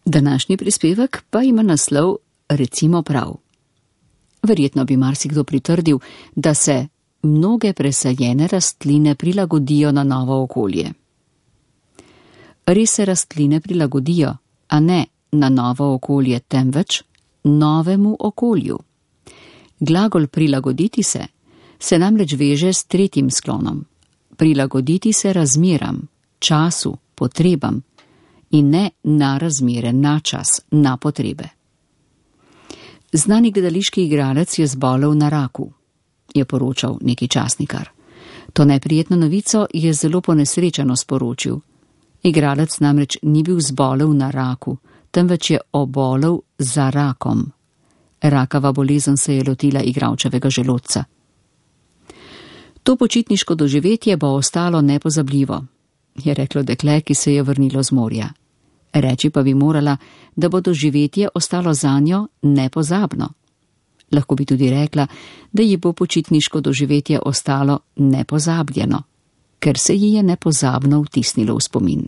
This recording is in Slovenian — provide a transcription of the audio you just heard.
Današnji prispevek pa ima naslov Recimo prav. Verjetno bi marsikdo pritrdil, da se mnoge presajene rastline prilagodijo na novo okolje. Res se rastline prilagodijo, a ne na novo okolje, temveč novemu okolju. Glagol prilagoditi se namreč veže s tretjim sklonom. Prilagoditi se razmeram, času, potrebam in ne na razmere, na čas, na potrebe. Znani gledališki igralec je zbolel na raku, je poročal neki časnikar. To neprijetno novico je zelo ponesrečeno sporočil. Igralec namreč ni bil zbolel na raku, temveč je obolel za rakom. Rakava bolezen se je lotila igralčevega želodca. To počitniško doživetje bo ostalo nepozabljivo, je reklo dekle, ki se je vrnilo z morja. Reči pa bi morala, da bo doživetje ostalo zanjo nepozabno. Lahko bi tudi rekla, da ji bo počitniško doživetje ostalo nepozabljeno, ker se ji je nepozabno vtisnilo v spomin.